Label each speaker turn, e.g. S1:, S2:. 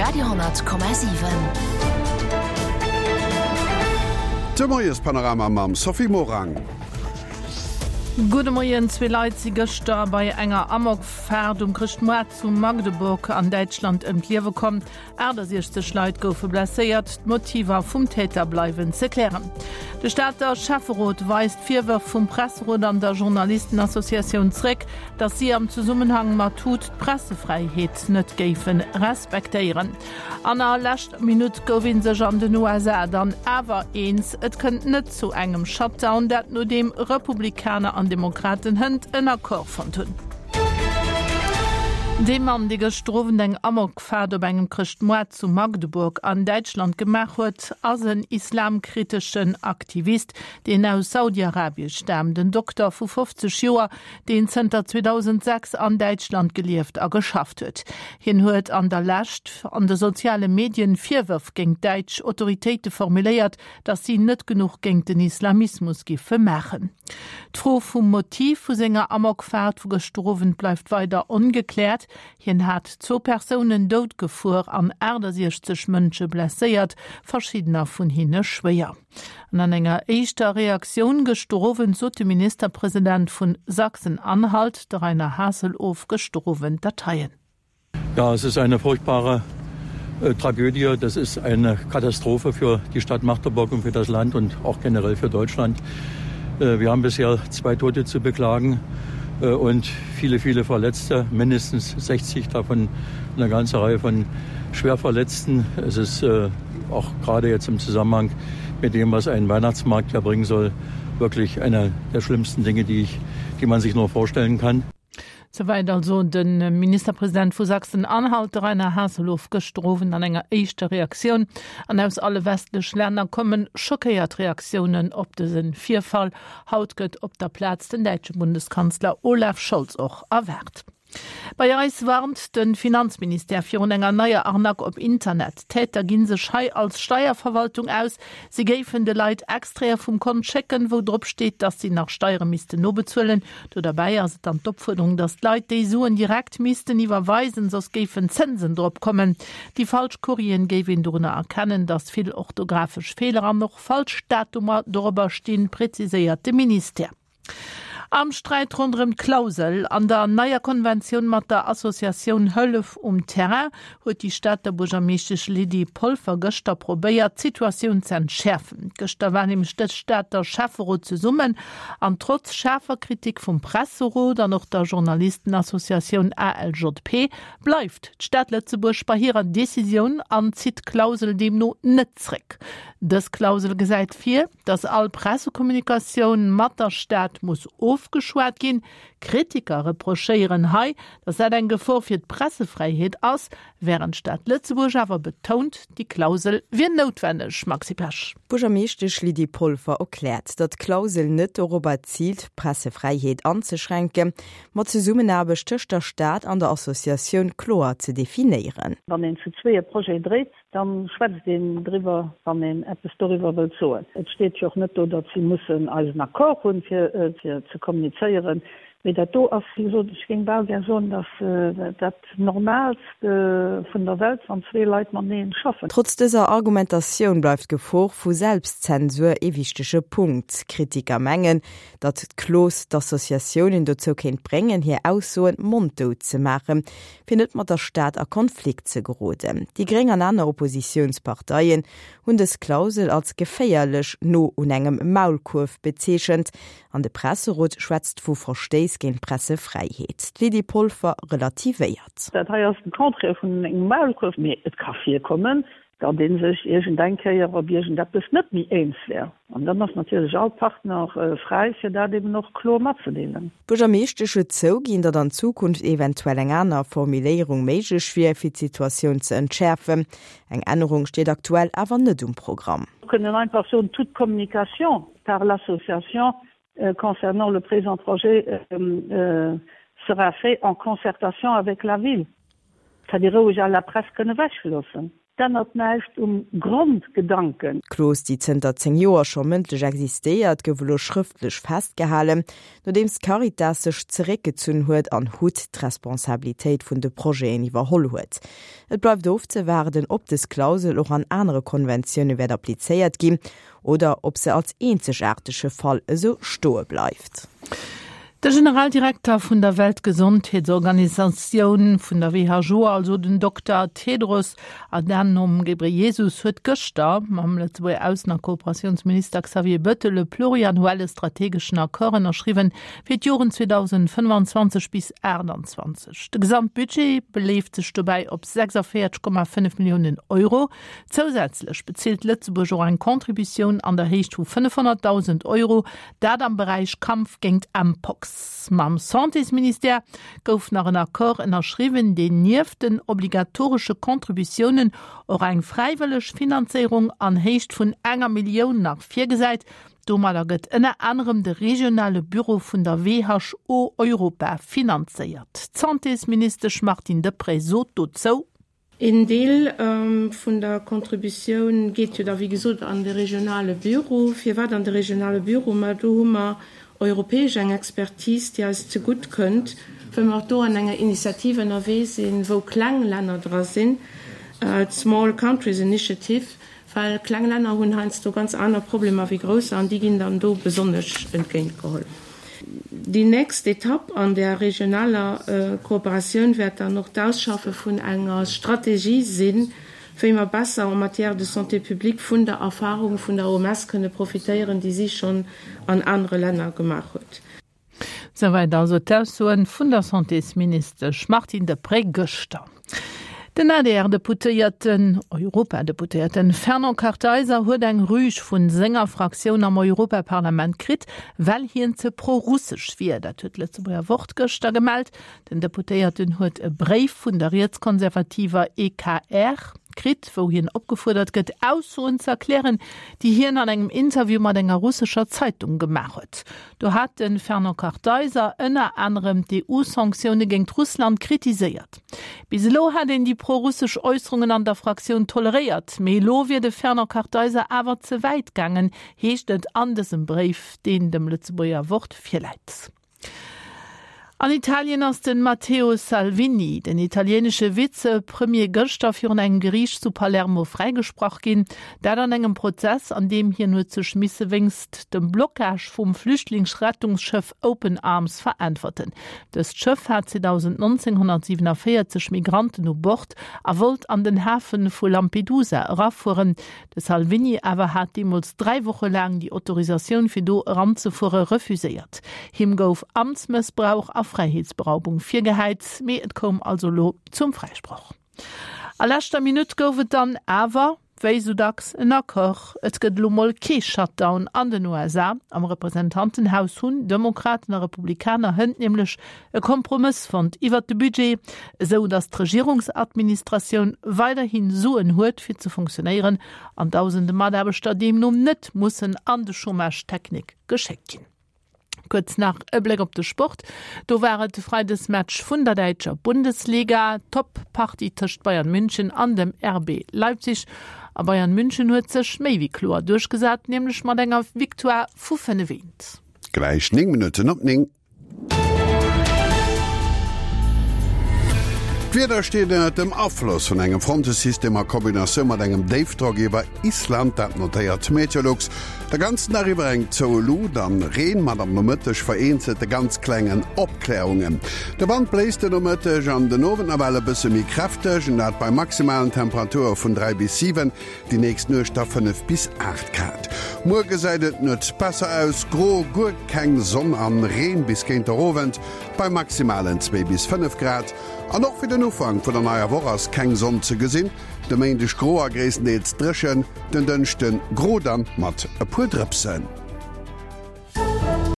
S1: Radio,7.
S2: De Moiespanorama mam Sophie Morang.
S3: Gudde Moien, Zwee Leit si gëschter bei enger Amokfaart um Chrëschtmoart zu Magdeburg an Däitschland ëm d'Liewe komm. 68 Leit goufe blesséiert. D'Motiver vum Täter bleiwen ze klären. De Stater Schäfferot weist d'Virwërf vum Presserot an der Journalistenassociatioun zréck, datt si am Zesummenhang mat hut d'Pressefräiheet net géife respektéieren. An a leschter Minutt gouf ee sech an den USA dann awer eens, Et kënnt net zu engem Shutdown, dat nodeem Republikaner an Demokraten hënt en Accord fonnt hunn. Dee Mann, dee gëschter Owend eng Amokfaart op engem Chrëschtmoart zu Magdeburg an Däitschland gemaach huet, ass en islamkriteschen Aktivist, deen aus Saudi-Arabie staamt. En Dokter vu 50 Joer, deen zënter 2006 an Däitschland gelieft a geschafft huet. Hien huet an der Lescht an de soziale Medien Virwërf géint däitsch Autoritéite formuléiert, datt si net genuch géint den Islamismus giffe maachen. D'Fro vum Motiv vu senger Amokfaart vu gëschter Owend bleift weider ongekläert. Hien hat zwou Persounen dout gefuer an 68 Mënsche blesséiert, verschiddener vun hinne schwéier. An an enger éischter Reaktioun gëschter Owend sot de Ministerpresident vun Sachsen-Anhalt, de Rainer Haseloff, gëschter Owend dat heien.
S4: Ja, es ist eine furchtbare äh, Tragödie. Das ist eine Katastrophe für die Stadt Magdeburg und für das Land und auch generell für Deutschland. Äh, wir haben bisher zwei Tote zu beklagen äh, und viele, viele Verletzte, mindestens 60 davon eine ganze Reihe von Schwerverletzten. Es ist äh, auch gerade jetzt im Zusammenhang mit dem, was ein Weihnachtsmarkt erbringen soll, wirklich eine der schlimmsten Dinge, die, ich, die man sich nur vorstellen kann.
S3: Souwäit also de Ministerpresident vu Sachsen-Anhalt, de Rainer Haseloff, gëschter Owend an enger éischter Reaktioun. An aus alle westlech Länner komme schockéiert Reaktiounen op dëse Virfall. Haut gëtt op der Plaz den däitsche Bundeskanzler Olaf Scholz och erwaart. Bei eis warnt de Finanzministère virun enger neier Arnaque op Internet. D'Täter gi sech hei als Steierverwaltung aus. Si géifen de Leit Extraite vum Kont schécken, wou drop steet, datt si nach Steiere missten nobezuelen. Do derbäi ass et dann d'Opfuerderung, datt d'Leit déi Suen direkt missten iwwerweisen, soss géifen Zënsen drop kommen. Déi falsch Courrieren géif een dorunner erkennen, datt vill orthografesch Feeler an och falsch Datumer dorobber stinn, preziséiert de Ministère. Am Sträit ronderëm d'Klausel an der neier Konventioun mat der Associatioun Hëllef um Terrain huet déi Stater Buergermeeschtesch Lydie Polfer gëschter probéiert, d'Situatioun ze entschäerfen. Gëschter war nämlech de Stater Schäfferot zesummen an trotz schaarfer Kritik vum Presserot an och der Journalistenassociatioun ALJP bleift d'Stad Lëtzebuerg bei hirer Decisioun an zitt d'Klausel deemno net zréck. Dës Klausel gesäit vir, datt all Pressekommunikatioun mat der Stad muss ofgeschwat ginn. Kritiker reprochéieren hei, datt dat eng Gefor fir d'Pressefräiheet ass, wärend d'Stad Lëtzebuerg awer betount, déi Klausel wier noutwenneg. Maxi Pesch.
S5: D'Buergermeeschtesch Lydie Polfer erkläert, datt d'Klausel net dorobber ziilt, d'Pressefräiheet anzeschränken, ma d'Zesummenaarbecht tëscht der Stad an der Associatioun kloer ze definéieren.
S6: Wann een zu zwee e Projet dréit, da schwätzt een driwwer, wann een eppes doriwwer wëllt soen. Et steet jo och net do, datt si mussen eisen Accord hunn, fir ze kommunizéieren. Mee dat do ass, wéi gesot, ech géing bal gär soen, datt dat Normaalst vun der Welt, wann zwee Leit mateneen schaffen.
S5: Trotz dëser Argumentatioun bleift d'Gefor vu Selbstzensur ee wichtege Punkt. Kritiker mengen, datt d'Klos d'Associatiounen dozou kéint bréngen, hir Aussoen monddout ze maachen, fir net mat der Stad a Konflikt ze geroden. Déi Gréng an aner Oppositiounsparteien hunn dës Klausel als geféierlech no un engem Maulkuerf bezeechent an de Presserot schwätzt vu Verstéiss géint d'Pressefräiheet. D'Lydie Polfer relativéiert.
S6: Dat hei ass de Contraire vun engem Maulkuerf, mee et ka virkommen, datt ee sech iergendeng Kéier op iergendeppes net méi eens wär. An dann ass natierlech all Partner fräi, fir dat eben och kloer matzedeelen.
S5: D'Buergermeeschtesch huet zouginn, datt an Zukunft eventuell eng aner Formuléierung méiglech wier, fir d'Situatioun ze entschäerfen. Eng Ännerung steet aktuell awer net um Programm.
S6: Mir kënnen einfach soen, toute communication par l'association concernant le présent projet sera fait en concertation avec la ville. Et hätt ee roueg à la presse kënne wechloossen. D'ännert näischt um Grondgedanken.
S5: D'Klos, déi zënter 10 Joer scho mëndlech existéiert, gouf elo schrëftlech festgehalen, nodeems d'Caritas sech zeréckgezunn huet an hut d'Responsabilitéit vun de Projeten iwwerholl huet. Et bleift ofzewaarden, ob dës Klausel och an anere Konventioune wäert applizéiert ginn oder ob se als eenzegaartege Fall esou stoe bleift.
S3: De Generaldirekter vun der Weltgesondheetsorganisatioun, vun der WHO also, den Dokter Tedros Adhanom Ghebreyesus huet gëschter mam Lëtzebuerger Aussen a Kooperatiounsminister Xavier Bettel e pluriannuelle strategeschen Accord ënnerschriwwen fir d'Joren 2025 bis 28. De Gesamtbudget beleeft sech dobäi op 46,5 Milliounen Euro. Zousätzlech bezilt Lëtzebuerg och eng Contributioun an der Héicht vu 500.000 Euro, dat am Beräich Kampf géingt Mpox. Mam Santésministère gouf nach en Accord ënnerschriwwen, deen nieft den obligatoresche Contributiounen och eng fräiwëlleg Finanzéierung an Héicht vun enger Millioun nach virgesäit. Domadder gëtt ënner anerem de regionale Büro vun der WHO Europa finanzéiert. D'Santésministesch Martine Deprez sot dozou.
S1: Een Deel vun der Contributioun geet jo da wéi gesot an de regionale Büro. Firwat an de regionale Büro? Ma do hu mer europäesch eng Expertise, déi eis zegutt kënnt, well mer och do an enger Initiativ ënnerwee sinn, wou kleng Länner dra sinn, d'Small Countries Initiative, well kleng Länner hunn heiansdo ganz aner Problemer wéi grousser an déi ginn dann do besonnesch entgéintgeholl. Déi nächst Etapp an där regionaler Kooperatioun wäert dann och d'Ausschaffe vun enger Strategie sinn, wéi mer besser en matière de santé publique vun der Erfahrung vun der OMS kënne profitéieren, déi si schonn an anere Länner gemaach huet.
S3: Souwäit also d'Aussoen vun der Santésministesch Martine Deprez gëschter. Den ADR-Deputéierten, Europadeputéierten Fernand Kartheiser huet eng Rüg vun senger Fraktioun am Europaparlament kritt, well hien ze pro-russesch wier. Dat huet d'Lëtzebuerger Wort gëschter gemellt. Den Deputéierten huet e Bréif vun der rietskonservativer EKR kritt, wou hien opgefuerdert gëtt, Aussoen ze erklären, déi hien an engem Interview mat enger russescher Zeitung gemaach huet. Do hat de Fernand Kartheiser ënner anerem d'EU-Sanktioune géingt Russland kritiséiert. Bis elo hätt een déi pro-russesch Äusserungen an der Fraktioun toleréiert, mee elo wier de Fernand Kartheiser awer ze wäit gaangen, heescht et an dësem Bréif, deen dem Lëtzebuerger Wort virläit. An Italien ass de Matteo Salvini, den italienesche Vizepremier, gëschter virun engem Geriicht zu Palermo fräigesprach ginn. Dat an engem Prozess, an deem hien huet sech misse wéinst dem Blockage vum Flüchtlingsrettungsschëff Open Arms veräntwerten. Dëst Schëff hat 2019 147 Migranten u Bord a wollt an den Hafe vu Lampedusa erafueren. De Salvini awer hat deemools 3 Woche laang déi Autorisatioun fir do eranzefuere refuséiert. Him gouf Amtsmëssbrauch a Fräiheetsberaubung virgehäit, mee et koum also elo zum Fräisproch. A leschter Minutt gouf et dann awer, wéi sou dacks, en Accord. Et gëtt elo mol kee Shutdown an den USA. Am Representantenhaus hunn Demokraten a Republikaner hënt nämlech e Kompromëss fonnt iwwert de Budget, esou datt d'Regierungsadministratioun weiderhi Suen huet fir ze funktionéieren an dausende Mataarbechter deemno net mussen an de Chômage technique geschéckt ginn. Kuerz nach e Bléck op de Sport. Do war et de Freidesmatch vun der däitscher Bundesliga. Top-Partie tëscht Bayern München an dem RB Leipzig. A Bayern München huet sech méi wéi kloer duerchgesat, nämlech mat enger Victoire vu 5, 1.
S2: Gläich 9 Minutten op 9. D'Wieder steet ënnert dem Afloss vun engem Frontesystem a Kombinatioun mat engem Déifdrock iwwer Island, dat notéiert Meteolux. De ganzen Dag iwwer eng zoue Luut an Reen mat am Nomëtteg vereenzelte ganz klengen Opklärungen. De Wand bléist de Nomëtteg an den Owend nawell e bësse méi kräfteg, an dat bei maximalen Temperature vun 3 bis 7, déi nächst Nuecht da 5 bis 8 Grad. Muer gesäit et net besser aus, gro, guer keng Sonn an Reen bis géint der Owend bei maximalen 2 bis 5 Grad. An och fir den Ufank vun der neier Woch ass keng Sonn ze gesinn, de Méindeg gro a gréisstendeels dréchen, den Dënschde gro dann mat e puer Drëpsen.